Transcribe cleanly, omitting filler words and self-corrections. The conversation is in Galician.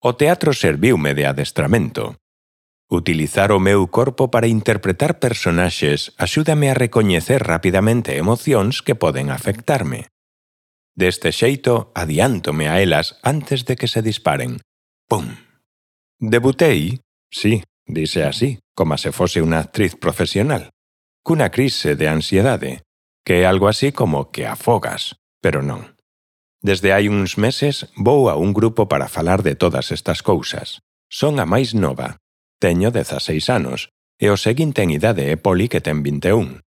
O teatro serviume de adestramento. Utilizar o meu corpo para interpretar personaxes axúdame a recoñecer rapidamente emocións que poden afectarme. Deste xeito, adiántome a elas antes de que se disparen. Pum! Debutei, sí, dise así, como se fose unha actriz profesional, cunha crise de ansiedade, que é algo así como que afogas, pero non. Desde hai uns meses vou a un grupo para falar de todas estas cousas. Son a máis nova. Teño 16 anos, e o seguinte en idade é Poli que ten 21.